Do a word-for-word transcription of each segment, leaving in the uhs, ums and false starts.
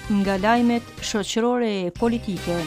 Nga lajmet shoqërore e politike.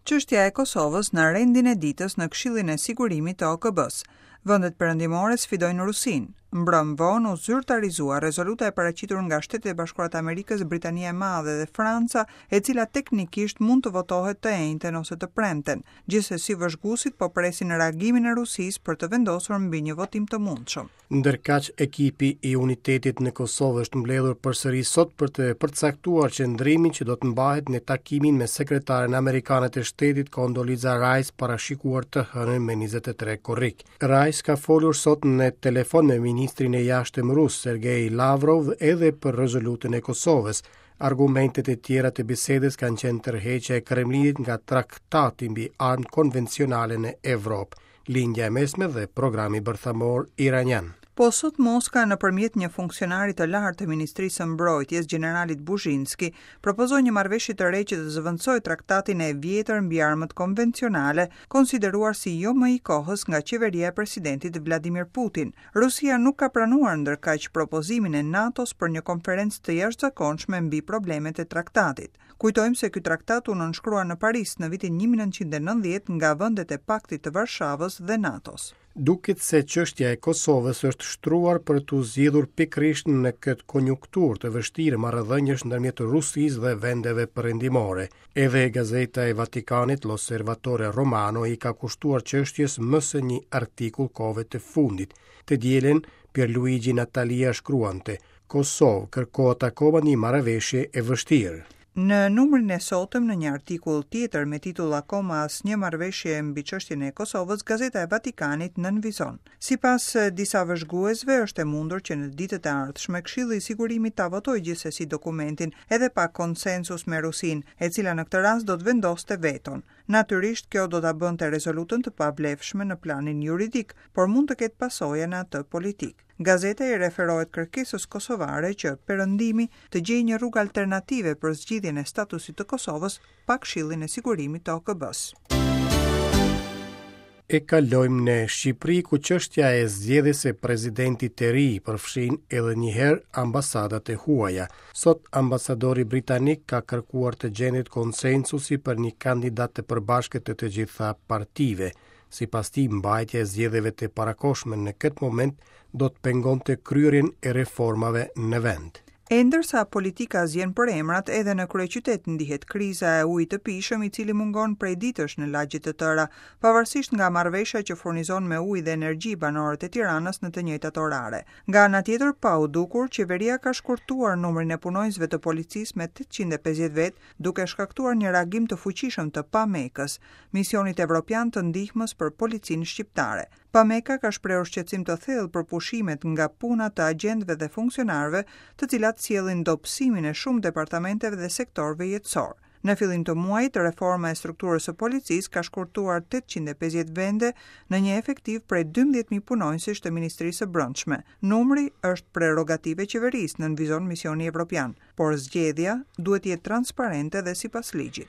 Çështja e Kosovës në rendin e ditës në Këshillin e Sigurimit të O K B-s. Vendet perëndimore sfidojnë Rusinë. Mbrëm vonë u zyrtarizua rezoluta e paraqitur nga Shtetet e Bashkuara të Amerikës, Britania e Madhe dhe Franca, e cila teknikisht mund të votohet të enjten ose të premten. Gjithsesi vëzhguesit po presin reagimin e Rusisë për të vendosur mbi një votim të mundshëm. Ndërkaq ekipi i unitetit në Kosovë është mbledhur përsëri sot për të përcaktuar qëndrimin që do të mbahet në takimin me sekretaren amerikane të shtetit Condoleezza Rice parashikuar të hënën me njëzet e tre korrik. Rice ka folur sot në telefon me ministrin e jashtëm rus Sergej Lavrov edhe për rezolutën e Kosovës. Argumentet e tjera të bisedës kanë qenë tërheqja e Kremlinit nga traktati mbi armë konvencionale në Evropë, Lindja e Mesme dhe programi bërthamor iranian. Po sot Moska nëpërmjet një funksionari të lartë të Ministrisë së Mbrojtjes, generalit Buzhinski, propozoi një marrëveshje të re që të zëvendësojë traktatin e vjetër mbi armët konvencionale, konsideruar si jo më i kohës nga qeveria e presidentit Vladimir Putin. Rusia nuk ka pranuar ndërkaq propozimin e NATO-s për një konferencë të jashtëzakonshme mbi problemet e traktatit. Kujtojmë se ky traktat u nënshkrua në Paris në vitin një mijë e nëntëqind e nëntëdhjetë nga vendet e Paktit të Varshavës dhe NATO-s. Duket se çështja e Kosovës është shtruar për t'u zgjidhur pikërisht në këtë konjunkturë të vështirë marrëdhëniesh ndërmjet Rusisë dhe vendeve perëndimore. Edhe gazeta e Vatikanit L'Osservatore Romano i ka kushtuar çështjes më se një artikull kohëve të fundit. Të dielën, Pierluigi Natalia shkruante: Kosovë kërkohet akoma një marrëveshje e vështirë. Në numrin e sotëm, në një artikull tjetër me titull Akoma asnjë marrëveshje mbi çështjen e Kosovës, Gazeta e Vatikanit nënvizon. Sipas disa vëzhguesve, është e mundur që në ditët e ardhshme Këshilli i Sigurimit ta votojë gjithsesi dokumentin edhe pa konsensus me Rusinë, e cila në këtë rast do të vendoste veton. Natyrisht, kjo do ta bënte rezolutën të pavlefshme në planin juridik, por mund të ketë pasoja në atë politik. Gazeta i referohet kërkesës kosovare që Perëndimi të gjejë një rrugë alternative për zgjidhjen e statusit të Kosovës pa Këshillin e Sigurimit të O K B-s. E kalojmë në Shqipëri, ku çështja e zgjedhjes së presidentit të ri përfshin edhe një herë ambasadat e huaja. Sot ambasadori britanik ka kërkuar të gjendet konsensusi për një kandidat të përbashkët të të gjitha partive. Sipas tij, mbajtja e zgjedhjeve të parakohshme në këtë moment do të pengonte kryerjen e reformave në vend. E ndërsa politika zgjen për emrat, edhe në kryeqytet ndihet kriza e ujit të pijshëm, i cili mungon prej ditësh në lagje të tëra, pavarësisht nga marrëveshja që furnizon me ujë dhe energji banorët e Tiranës në të njëjtat orare. Nga ana tjetër, pa u dukur, qeveria ka shkurtuar numrin e punonjësve të policisë me tetëqind e pesëdhjetë vet, duke shkaktuar një reagim të fuqishëm të Pamekës, misionit evropian të ndihmës për policinë shqiptare. Pameka ka shprehur shqetësim të thellë për pushimet nga puna të agjentëve dhe funksionarëve, të cilat sjellin dobësimin e shumë departamenteve dhe sektorëve jetësor. Në fillim të muajit, reforma e strukturës së policisë ka shkurtuar tetëqind e pesëdhjetë vende në një efektiv prej dymbëdhjetë mijë punonjësish të Ministrisë së Brendshme. Numri është prerogative e qeverisë, nënvizon misioni evropian, por zgjedhja duhet të jetë transparente dhe sipas ligjit.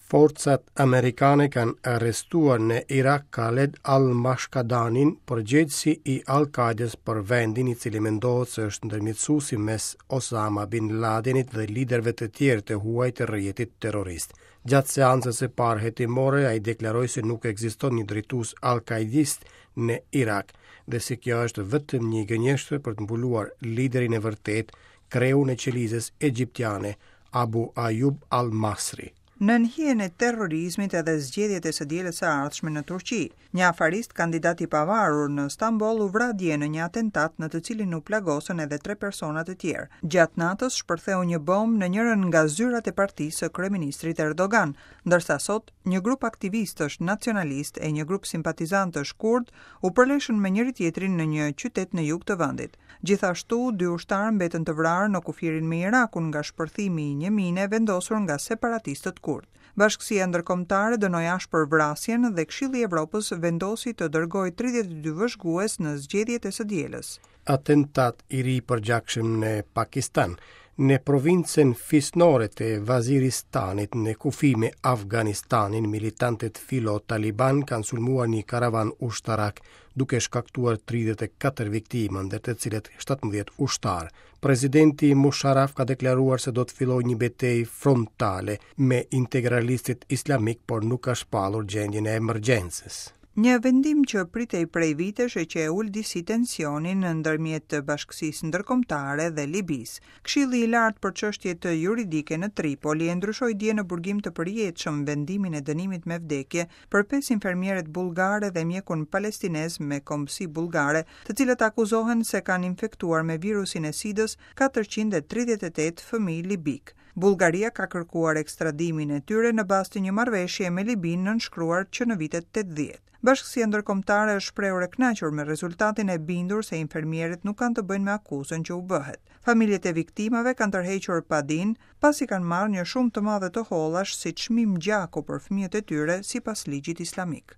Forcat amerikane kanë arrestuar në Irak Khaled al-Mashkadanin, përgjegjësi i Al-Qaedës për vendin, i cili mendohet se është ndërmjetësuesi mes Osama bin Ladenit dhe liderëve të tjerë të huaj të rrjetit terrorist. Gjatë seancës së parë hetimore, ai deklaroi se nuk ekziston një drejtues al-Qaedist në Irak dhe se kjo është vetëm një gënjeshtër për të mbuluar liderin e vërtet, kreun e qelizës egjiptiane, Abu Ayyub al-Masri. Nën hijen e terrorizmit edhe zgjedhjet e së dielës së ardhshme në Turqi, një afarist kandidat i pavarur në Stamboll u vra dje në një atentat në të cilin u plagosën edhe tre persona të tjerë. Gjatë natës shpërtheu një bombë në njërin nga zyrat e partisë së kryeministrit Erdogan, ndërsa sot një grup aktivistësh nacionalistë e një grup simpatizantësh kurd u përleshën me njëri tjetrin në një qytet në jug të vendit. Gjithashtu, dy ushtarë mbetën të vrarë në kufirin me Irakun nga shpërthimi i një mine vendosur nga separatistët kurd. Bashkësia ndërkombëtare dënoi ashpër vrasjen dhe Këshilli i Evropës vendosi të dërgojë tridhjetë e dy vëzhgues në zgjedhjet e së dielës. Atentat i ri përgjakshëm në Pakistan. Në provincën fisnore të Vaziristanit në kufi me Afganistanin, militantët filo-Taliban kanë sulmuar një karavan ushtarak duke shkaktuar tridhjetë e katër viktima, ndër të cilët shtatëmbëdhjetë ushtarë. Presidenti Musharraf ka deklaruar se do të fillojë një betejë frontale me integralistët islamik, por nuk ka shpallur gjendjen e emergjencës. Një vendim që pritej prej vitesh e që e ul disi tensionin ndërmjet bashkësisë ndërkombëtare dhe Libisë. Këshilli i Lartë për Çështjet Juridike në Tripoli e ndryshoi dje në burgim të përjetshëm vendimin e dënimit me vdekje për pesë infermieret bullgare dhe mjekun palestinez me kombësi bullgare, të cilët akuzohen se kanë infektuar me virusin e SIDA-s katërqind e tridhjetë e tetë fëmijë libik. Bullgaria ka kërkuar ekstradimin e tyre në bazë të një marrëveshje me Libinë nënshkruar që në vitet tetëdhjetë. Bashkësia ndërkombëtare është shprehur e kënaqur me rezultatin e bindur se infermierët nuk kanë të bëjnë me akuzën që u bëhet. Familjet e viktimave kanë tërhequr padin pasi kanë marrë një shumë të madhe të hollash si çmim gjaku për fëmijët e tyre sipas ligjit islamik.